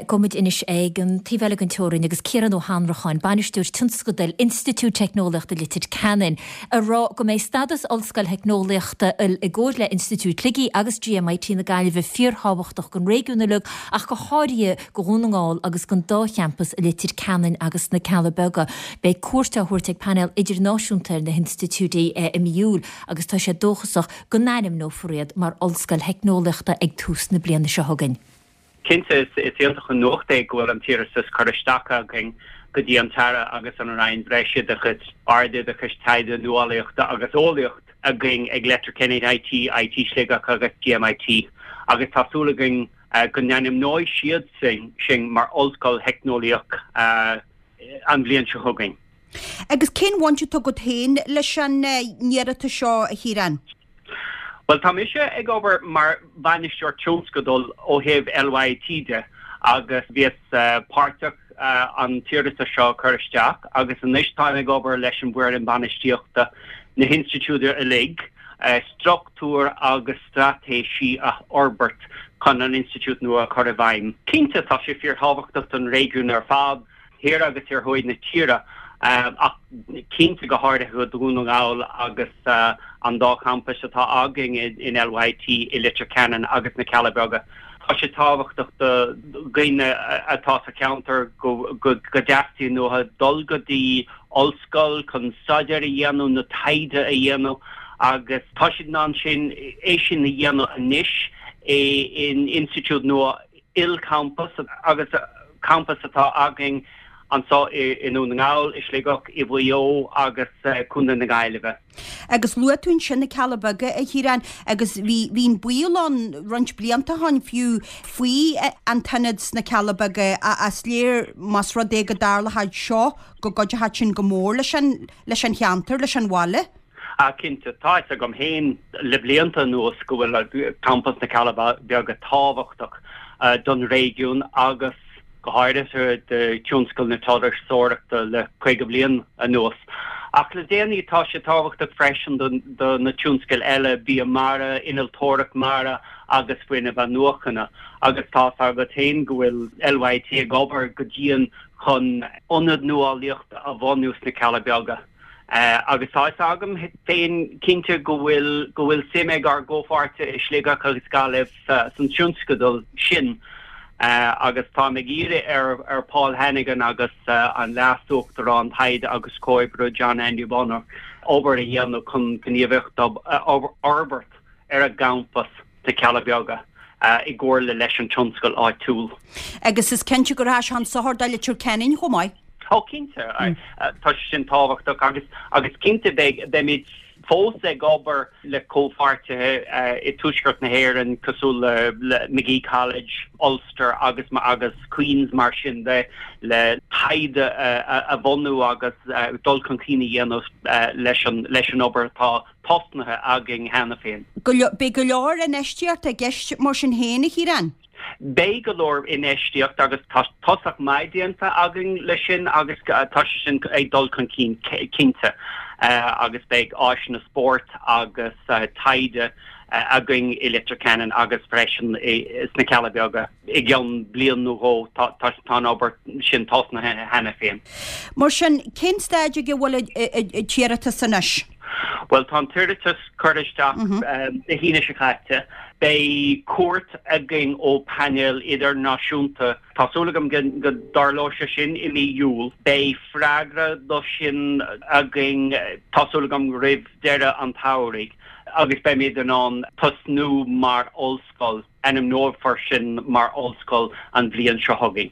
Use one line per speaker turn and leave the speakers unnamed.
Gabhfaidh muid anois ag an taobh eile den teorainn agus Ciarán Ó hAnnracháin, Bainisteoir Tionscadail Institiúid Teicneolaíochta Leitir Ceanainn, ag rá go mbeidh stádas Ollscoil Theicneolaíochta IL i gcomhar le Institiúid Shligigh agus GMIT na Gaillimhe fíorthábhachtach don réigiún uilig ach go háirithe do Dhún na nGall agus don dá champas i Leitir Ceanainn agus sna Cealla Beaga. Beidh cuairt á thabhairt ag painéal idirnáisiúnta ar na hinstitiúidí i mí Iúil agus tá sé dóchasach go n-ainmneofar iad mar Ollscoil Theicneolaíochta ag tús na bliana seo chugainn.
Cinnte, is iontach an nuacht é go bhfuil an t-iarratas curtha isteach againn go dtí an tAire agus an Roinn Bhreisoideachais, Ardoideachais, Taighde, Nuálaíochta agus Eolaíocht againn ag Letterkenny IT, IT Sligeach agus GMIT agus tá súil againn go n-ainmneoidh siad sinn mar Ollscoil Theicneolaíoch an bhliain seo chugainn.
Agus cén bhaint atá agat féin leis an iarratas seo, a Chiaráin?
Bhuel, tá mise ag obair mar bhainisteoir tionscadail ó thaobh LYIT de agus bhíos páirteach an t-iarratas seo a chur isteach agus anois táim ag obair leis an bhfoireann bainistíochta na hinstitiúide uilig struchtúir agus straitéisí a fhorbairt chun an institiúid nua a chur i bhfeidhm. Cinnte, tá sé fíorthábhachtach don réigiún ar fad. thiar agus thiar thuaidh na tíre, ach cinnte go háirithe do Dhún na nGall agus an dá champas atá againn in LYIT i Leitir Ceanainn agus na Cealla Beaga. Tá sé tábhachtach do dhaoine atá sa cheantar go dteastaíonn uathu dul go dtí ollscoil chun staidéar a dhéanamh nó taighde a dhéanamh agus tá siad in ann sin é sin a dhéanamh anois in institiúid nua ilchampas agus campas atá againn anseo i nDún na nGall, i Sligeach, i Mhaigh Eo agus Contae na Gaillimhe.
Agus luaigh tú ansin na Cealla Beaga, a Chiaráin, agus bhí, bhí an baol ann roinnt blianta ó shin fiú faoi an t-ionad sna Cealla Beaga ach is léir más rud é go dtarlódh seo go gcuideochadh sin go mór leis an, leis an cheantar, leis an bhaile.
Ah cinnte, tá fhios agam féin le blianta anuas go bhfuil campas na Cealla Beaga tábhachtach don réigiún agus go háirithe do thionscal na turasóireachta le 50 bliain anuas. Ach le déanaí tá sé tábhachtach freisin do na tionscail eile, bia mara, innealtóireacht mara agus fuinneamh athnuachana. Agus tá fhios agat féin go bhfuil LYIT ag obair go dian chun ionad nuálaíochta a bhunú sna Cealla Beaga. Agus tá fhios agam féin cinnte go bhfuil go bhfuil suim ag ár gcomhpháirtithe i Sligeach agus Gaillimh san tionscadal sin agus táim ag iarraidh ar ar Paul Hannigan agus an Leas-Uachtarán Taighde agus Comhoibriú John Andy Bonner obair a dhéanamh chun gníomhaíocht a fhorbairt ar an gcampas sna Cealla Beaga i gcomhairle leis an tionscal áitiúil.
Agus is cinnte go rachaidh sé chun sochair do Leitir Ceanainn chomh maith.
Ó cinnte, tá sé sin tábhachtach agus agus cinnte beidh beimid fós ag obair le comhpháirtithe i dtuaisceart na hÉireann cosúil le le Magee College, Ulster agus agus Queens mar sin de le taighde a bhunú agus dul chun cinn a dhéanamh leis an leis an obair atá tosnaithe againn cheana féin.
Beidh go leor infheistíochta i gceist mar sin féin, a Chiaráin?
Beidh go leor infheistíocht agus tá tosach maith déanta againn leis sin agus tá sé sin ag dul chun cinn cinnte agus beidh áiseanna spóirt agus taighde againn i Leitir Ceanainn agus freisin sna Cealla Beaga. I gceann bliain nó dhó tá an obair sin tosnaithe cheana féin.
Mar sin, cén staid ag a bhfuil an t-iarratas anois?
Bhuel, tá an t-iarratas curtha isteach Dé hAoine seo caite. Beidh cuairt againn ó phainéal idirnáisiúnta. Tá súil agam go dtarlóidh sé sin i mí Iúil. Beidh freagra do sin againn, tá súil agam, roimh deireadh an tsamhraidh agus beimid in ann tosnú mar ollscoil. Ainmneofar sinn mar ollscoil an bhliain seo chugainn.